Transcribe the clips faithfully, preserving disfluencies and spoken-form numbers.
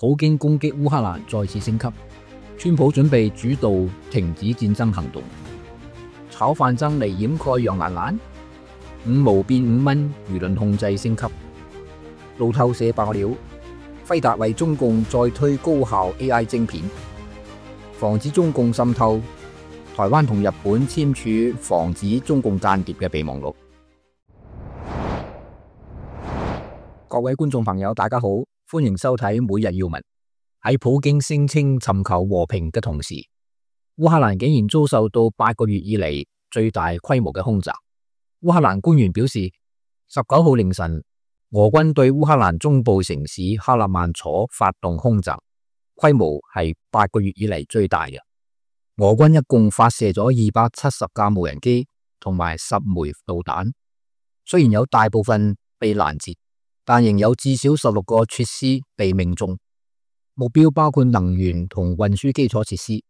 普京攻擊烏克蘭再次升級，川普準備主導停止戰爭行動。炒飯僧嚟掩蓋楊蘭蘭，五毛變五蚊，輿論控制升級。路透社爆料，輝達為中共再推高效 A I 晶片，防止中共滲透。台灣同日本簽署防止中共間諜嘅備忘錄。各位觀眾朋友，大家好，歡迎收睇每日要聞。喺普京聲稱尋求和平嘅同時，烏克蘭竟然遭受到八個月以嚟最大規模嘅空襲。烏克蘭官員表示，十九號凌晨，俄軍對烏克蘭中部城市克拉曼楚發動空襲，規模係八個月以嚟最大嘅。俄軍一共發射咗二百七十架無人機同埋十枚導彈，雖然有大部分被攔截，但仍有至少十六個設施被命中，目標包括能源同運輸基礎設施。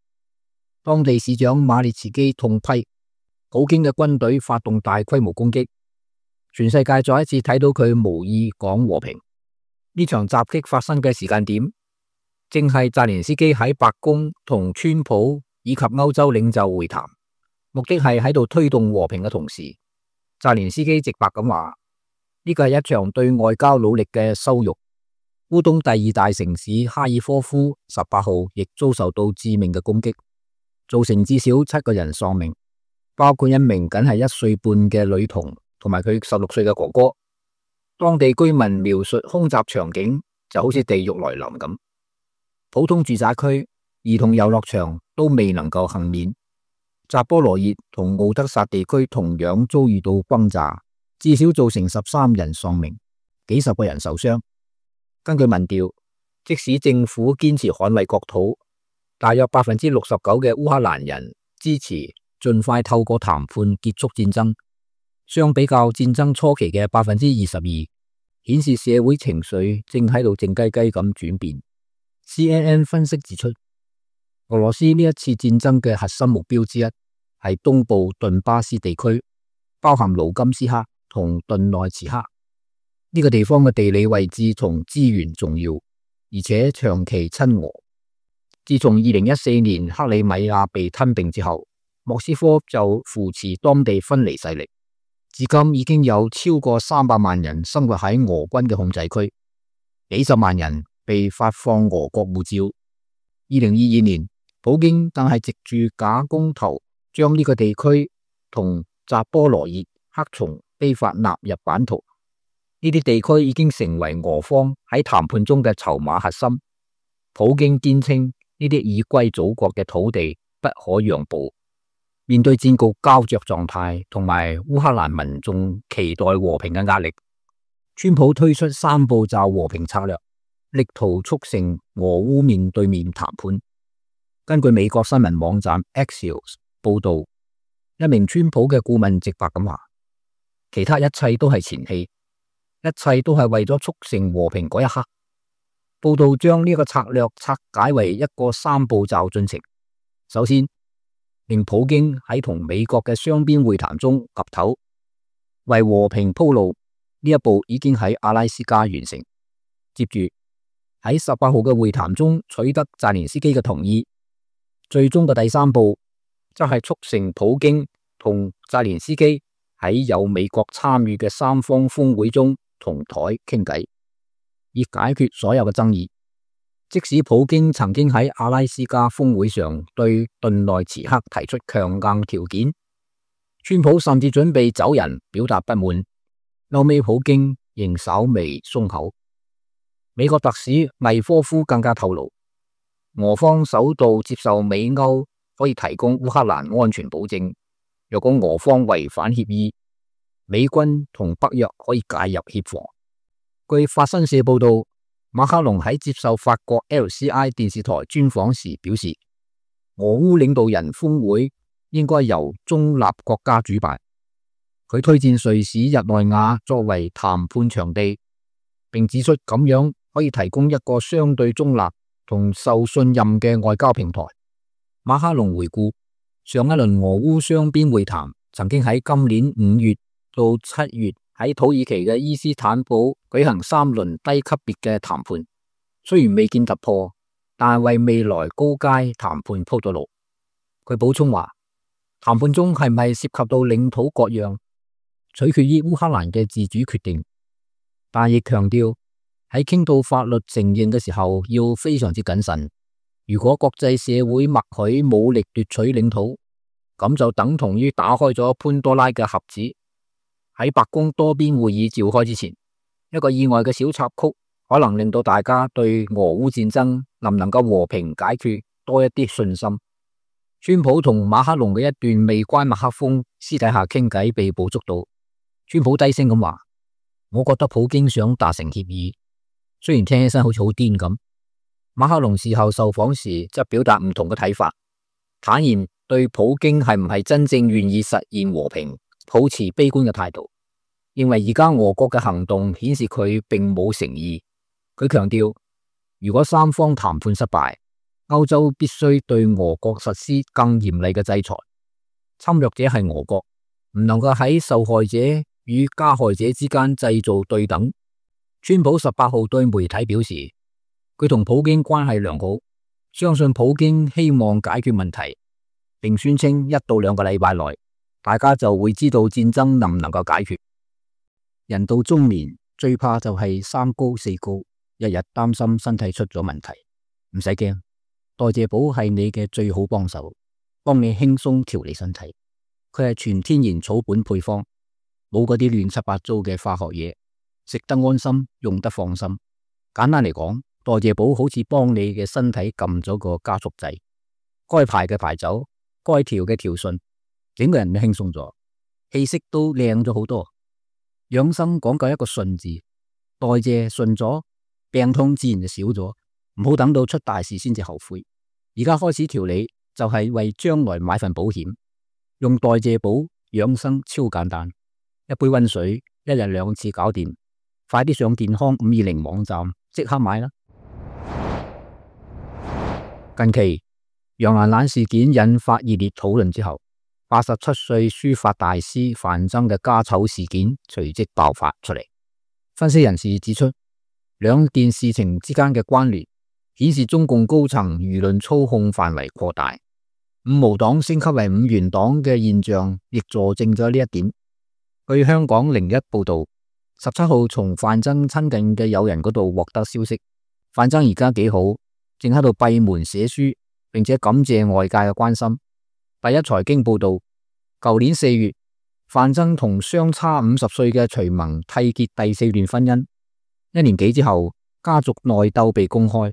當地市長馬列茨基痛批普京嘅軍隊發動大規模攻擊，全世界再一次睇到佢無意講和平。呢場襲擊發生嘅時間點，正係澤連斯基喺白宮同川普以及歐洲領袖會談，目的係喺度推動和平嘅同時，澤連斯基直白咁話，呢個係一場對外交努力嘅羞辱。烏東第二大城市哈爾科夫十八號亦遭受到致命嘅攻擊，造成至少七個人喪命，包括一名僅係一歲半嘅女童同埋佢十六歲嘅哥哥。當地居民描述空襲場景就好似地獄來臨咁，普通住宅區、兒童遊樂場都未能夠幸免。扎波羅熱同敖德薩地區同樣遭遇到轟炸，至少造成十三人喪命，幾十個人受傷。根據民調，即使政府堅持捍衛國土，大約百分之六十九嘅烏克蘭人支持盡快透過談判結束戰爭。相比較戰爭初期嘅百分之二十二，顯示社會情緒正喺度靜雞雞咁轉變。C N N 分析指出，俄羅斯呢一次戰爭嘅核心目標之一係東部頓巴斯地區，包含盧甘斯克同頓內茨克。呢個地方嘅地理位置同資源重要，而且長期親俄。自從二零一四年克里米亞被吞併之後，莫斯科就扶持當地分離勢力。至今已經有超過三百萬人生活喺俄軍嘅控制區，幾十萬人被發放俄國護照。二零二二年，普京更係藉住假公投，將呢個地區同扎波羅熱、克松非法納入版圖。呢啲地區已經成為俄方喺談判中嘅籌碼核心。普京堅稱呢啲已歸祖國嘅土地不可讓步。面對戰局膠着狀態同埋烏克蘭民眾期待和平嘅壓力，川普推出三步驟和平策略，力圖促成俄烏面對面談判。根據美國新聞網站 Axios 報道，一名川普嘅顧問直白咁話，其他一切都係前戲，一切都係為咗促成和平嗰一刻。報道將呢個策略拆解為一個三步驟進程。首先，令普京喺同美國嘅雙邊會談中岌頭，為和平鋪路。呢一步已經喺阿拉斯加完成。接住喺十八號嘅會談中取得澤連斯基嘅同意。最終嘅第三步則係促成普京同澤連斯基喺有美國參與嘅三方峰會中同台傾偈，以解決所有嘅爭議。即使普京曾經喺阿拉斯加峰會上對頓內茨克提出強硬條件，川普甚至準備走人表達不滿，後尾普京仍稍微鬆口。美國特使魏科夫更加透露，俄方首度接受美歐可以提供烏克蘭安全保證，若果俄方違反協議，美軍同北約可以介入協防。據法新社報道，馬克龍喺接受法國 L C I 電視台專訪時表示，俄烏領導人峰會應該由中立國家主辦。佢推薦瑞士日內瓦作為談判場地，並指出咁樣可以提供一個相對中立同受信任嘅外交平台。馬克龍回顧上一輪俄烏雙邊會談，曾經喺今年五月到七月喺土耳其嘅伊斯坦堡舉行三輪低級別嘅談判，雖然未見突破，但係為未來高階談判鋪咗路。佢補充話，談判中係咪涉及到領土割讓，取決於烏克蘭嘅自主決定，但亦強調喺傾到法律承認嘅時候要非常之謹慎。如果國際社會默許武力奪取領土，咁就等同於打開咗潘多拉嘅盒子。喺白宮多邊會議召開之前，一個意外嘅小插曲可能令到大家對俄烏戰爭能唔能夠和平解決多一啲信心。川普同馬克龍嘅一段未關麥克風私底下傾偈被捕捉到，川普低聲咁話：我覺得普京想達成協議，雖然聽起身好似好癲咁。馬克龍事後受訪時則表達唔同嘅睇法，坦言對普京係唔係真正願意實現和平抱持悲觀嘅態度，認為而家俄國嘅行動顯示佢並冇誠意。佢強調，如果三方談判失敗，歐洲必須對俄國實施更嚴厲嘅制裁。侵略者係俄國，唔能夠喺受害者與加害者之間製造對等。川普十八號對媒體表示，佢同普京關係良好，相信普京希望解決問題，並宣稱一到兩個禮拜內，大家就會知道戰爭能唔能夠解決。人到中年最怕就係三高四高，日日擔心身體出咗問題。唔使驚，代謝寶係你嘅最好幫手，幫你輕鬆調理身體。佢係全天然草本配方，冇嗰啲亂七八糟嘅化學嘢，食得安心，用得放心。簡單嚟講，代謝寶好似幫你嘅身體撳咗個加速掣，該排嘅排走，該調嘅調順，整個人都輕鬆咗，氣色都靚咗好多。養生講究一個順字，代謝順咗，病痛自然就少咗。唔好等到出大事先至後悔。而家開始調理就係為將來買份保險。用代謝寶養生超簡單，一杯溫水，一日兩次搞掂。快啲上健康五二零網站即刻買啦！近期楊蘭蘭事件引發熱烈討論之後，八十七歲書法大師范曾嘅家醜事件隨即爆發出嚟。分析人士指出，兩件事情之間嘅關聯顯示中共高層輿論操控範圍擴大，五毛黨升級為五元黨嘅現象亦佐證咗呢一點。據香港零一報道，十七號從范曾親近嘅友人嗰度獲得消息，范曾而家幾好，正喺度閉門寫書，並且感謝外界嘅關心。第一財經報道，舊年四月，范曾同相差五十歲嘅徐萌締結第四段婚姻。一年幾之後，家族內鬥被公開。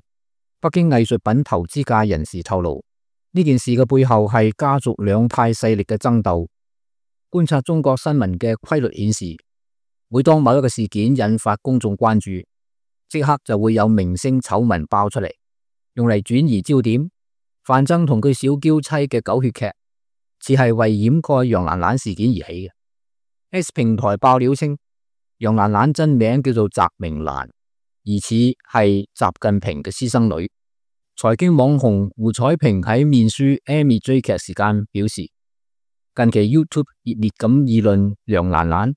北京藝術品投資界人士透露，呢件事嘅背後係家族兩派勢力嘅爭鬥。觀察中國新聞嘅規律顯示，每當某一個事件引發公眾關注，即刻就會有明星醜聞爆出嚟，用嚟轉移焦點。范曾同佢小嬌妻嘅狗血劇，似係為掩蓋楊蘭蘭事件而起嘅。X 平台爆料稱，楊蘭蘭真名叫做翟明蘭，疑似係習近平嘅私生女。財經網紅胡彩萍喺面書 Amy 追劇時間表示，近期 YouTube 熱烈咁議論楊蘭蘭，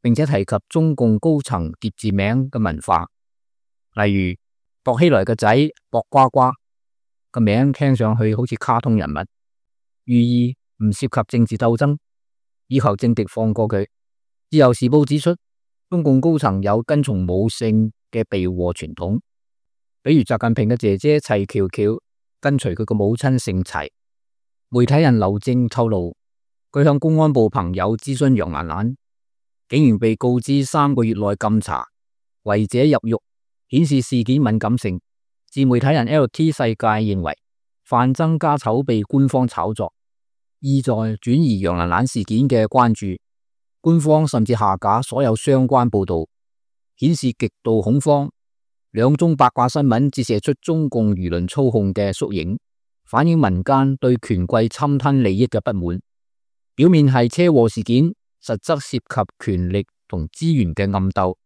並且提及中共高層疊字名嘅文化，例如薄熙來嘅仔薄瓜瓜個名聽上去好似卡通人物，寓意唔涉及政治鬥爭，以求政敵放過佢。自由時報指出，中共高層有跟從母姓嘅避禍傳統，比如習近平嘅姐姐齊喬喬跟隨佢個母親姓齊。媒體人劉正透露，佢向公安部朋友諮詢楊蘭蘭，竟然被告知三個月內禁查，違者入獄，顯示事件敏感性。自媒體人 L T 世界認為，范曾家醜被官方炒作，意在轉移楊蘭蘭事件嘅關注。官方甚至下架所有相關報道，顯示極度恐慌。兩宗八卦新聞折射出中共輿論操控嘅縮影，反映民間對權貴侵吞利益嘅不滿。表面係車禍事件，實則涉及權力同資源嘅暗鬥。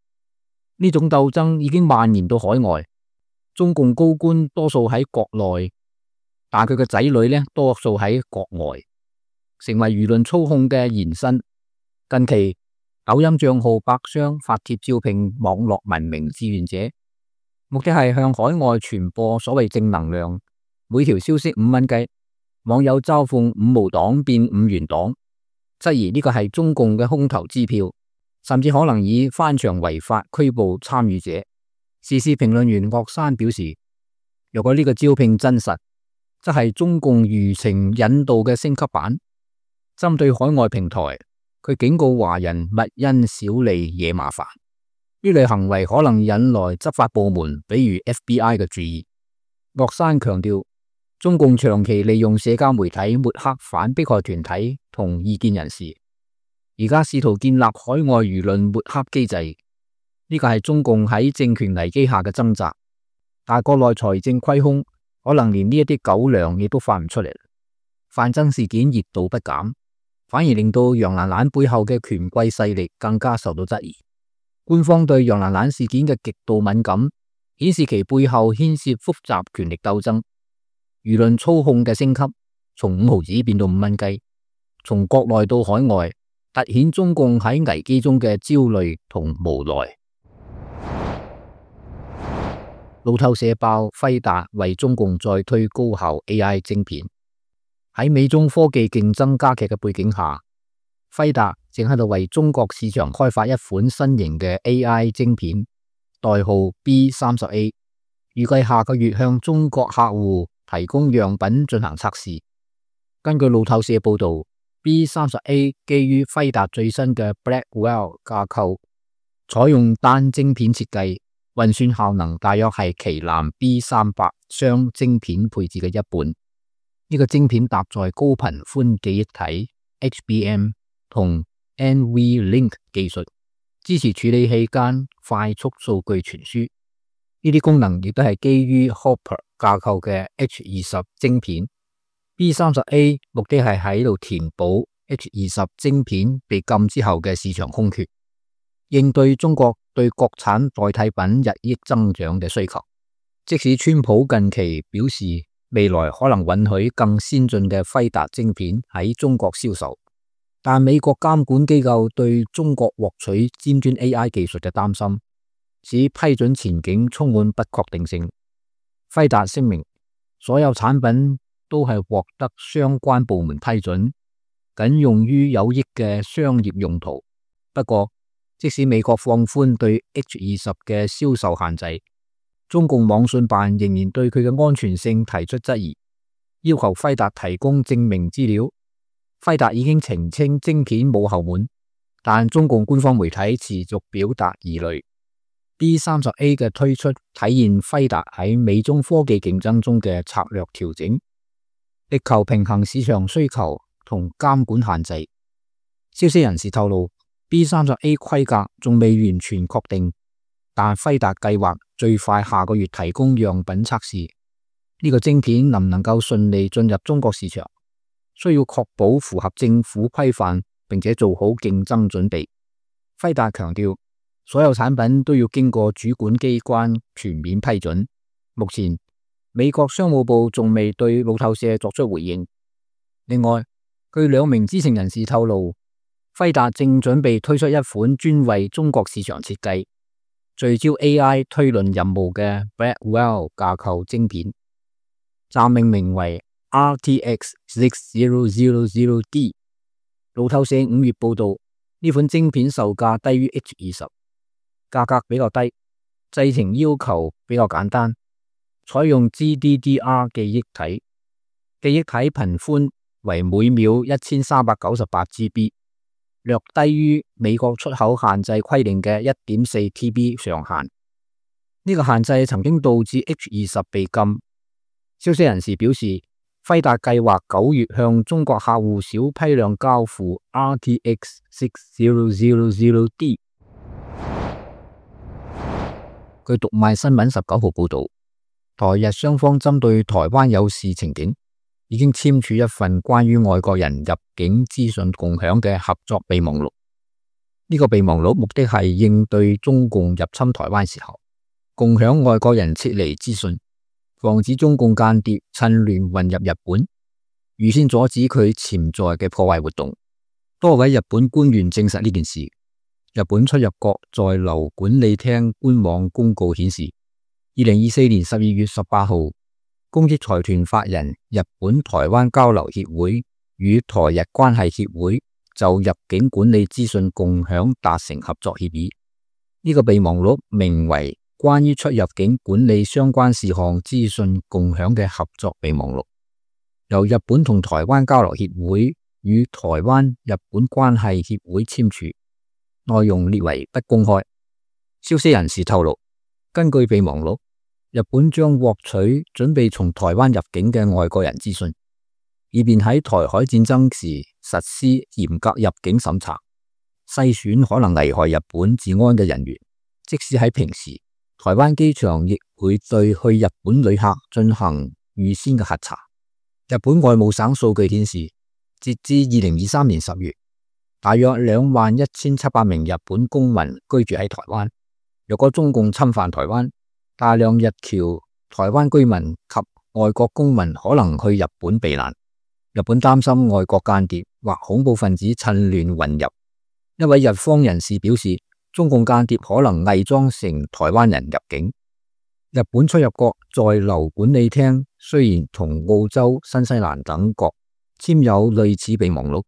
呢種鬥爭已經蔓延到海外。中共高官多數喺國內，但佢嘅仔女呢，多數喺國外，成為輿論操控嘅延伸。近期抖音賬號百商發帖招聘網絡文明志願者，目的係向海外傳播所謂正能量。每條消息五蚊雞，網友嘲諷五毛黨變五元黨，質疑呢個係中共嘅空頭支票，甚至可能以翻牆違法拘捕參與者。時事評論員岳山表示，如果呢個招聘真實，則係中共輿情引導嘅升級版。針對海外平台，佢警告華人勿因小利惹麻煩，呢類行為可能引來執法部門，比如 F B I 嘅注意。岳山強調，中共長期利用社交媒體抹黑反迫害團體同異見人士，而家試圖建立海外輿論抹黑機制，呢個係中共喺政權危機下嘅掙扎。但國內財政虧空，可能連呢一啲狗糧亦都發唔出嚟。范增事件熱度不減，反而令到楊蘭蘭背後嘅權貴勢力更加受到質疑。官方對楊蘭蘭事件嘅極度敏感，顯示其背後牽涉複雜權力鬥爭。輿論操控嘅升級，從五毫子變到五蚊雞，從國內到海外，凸顯中共喺危機中嘅焦慮同無奈。路透社爆輝達為中共再推高效 A I 晶片。喺美中科技競爭加劇嘅背景下，輝達正喺度為中國市場開發一款新型嘅 A I 晶片，代號 B 三十 A， 預計下個月向中國客戶提供樣品進行測試。根據路透社報道， B 三十 A 基於輝達最新嘅 Blackwell 架構，採用單晶片設計，運算效能大約係旗艦 B 三百雙晶片配置嘅一半。呢個晶片搭載高頻寬記憶體 H B M 同 NVLink 技術，支持處理器間快速數據傳輸。呢啲功能亦都係基於 Hopper 架構嘅 H 二十晶片。B 三十 A 目的係喺度填補 H 二十晶片被禁之後嘅市場空缺，應對中國對國產代替品日益增長嘅需求。即使川普近期表示未來可能允許更先進嘅輝達晶片喺中國銷售，但美國監管機構對中國獲取尖端 A I 技術嘅擔心，使批准前景充滿不確定性。輝達聲明，所有產品都係獲得相關部門批准，僅用於有益嘅商業用途。不過，即使美國放寬對 H 二十嘅銷售限制，中共網信辦仍然對佢嘅安全性提出質疑，要求輝達提供證明資料。輝達已經澄清晶片冇後門，但中共官方媒體持續表達疑慮。B 三十 A 嘅推出體現輝達喺美中科技競爭中嘅策略調整，力求平衡市場需求同監管限制。消息人士透露， B 三十 A 規格仲未完全確定，但輝達計劃最快下個月提供樣品測試。呢個晶片能唔能夠順利進入中國市場，需要確保符合政府規範，並且做好競爭準備。輝達強調，所有產品都要經過主管機關全面批准。目前，美國商務部仲未對路透社作出回應。另外，據兩名知情人士透露，輝達正準備推出一款專為中國市場設計、聚焦 A I 推論任務嘅 Blackwell 架構晶片，暫命名為 R T X 六零零零 D。路透社五月報道，呢款晶片售價低於 H 二十，價格比較低，製程要求比較簡單，採用 G D D R 記憶體，記憶體頻寬為每秒一千三百九十八 G B， 略低於美國出口限制規定嘅 一點四 T B 上限。呢個限制曾經導致 H 二十被禁。消息人士表示，輝達計劃九月向中國客戶小批量交付 R T X 六零零零 D。據讀賣新聞十九號報道，台日雙方針對台灣有事情景，已經簽署一份關於外國人入境資訊共享嘅合作備忘錄。呢個備忘錄目的係應對中共入侵台灣時候，共享外國人撤離資訊，防止中共間諜趁亂混入日本，預先阻止佢潛在嘅破壞活動。多位日本官員證實呢件事。日本出入國在留管理廳官網公告顯示，二零二四年十二月十八號，公益財團法人日本台灣交流協會與台日關係協會就入境管理資訊共享達成合作協議。呢、這個備忘錄名為《關於出入境管理相關事項資訊共享嘅合作備忘錄》，由日本同台灣交流協會與台灣日本關係協會簽署，內容列為不公開。消息人士透露，根據備忘錄，日本將獲取準備從台灣入境嘅外國人資訊，以便喺台海戰爭時實施嚴格入境審查，篩選可能危害日本治安嘅人員。即使喺平時，台灣機場亦會對去日本旅客進行預先嘅核查。日本外務省數據顯示，截至二零二三年十月，大約兩萬一千七百名日本公民居住喺台灣。若果中共侵犯台灣，大量日僑、台灣居民及外國公民可能去日本避難。日本擔心外國間諜或恐怖分子趁亂混入。一位日方人士表示，中共間諜可能偽裝成台灣人入境。日本出入國在留管理廳雖然同澳洲、新西蘭等國簽有類似備忘錄，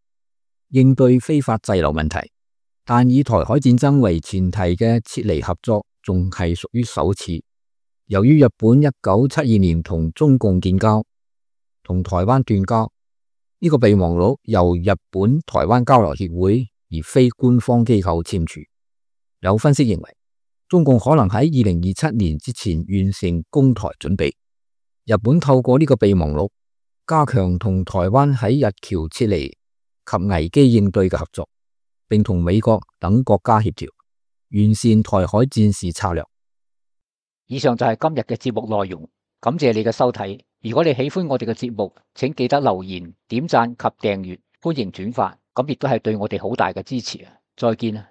應對非法滯留問題，但以台海戰爭為前提嘅撤離合作仲係屬於首次。由於日本一九七二年同中共建交，同台灣斷交，呢、這個備忘錄由日本台灣交流協會而非官方機構簽署。有分析認為，中共可能喺二零二七年之前完成攻台準備。日本透過呢個備忘錄，加強同台灣喺日僑撤離及危機應對嘅合作，並同美國等國家協調，完善台海戰事策略。以上就係今日嘅節目內容，感謝你嘅收睇。如果你喜歡我哋嘅節目，請記得留言、點讚及訂閱，歡迎轉發，咁亦都係對我哋好大嘅支持啊！再見啊！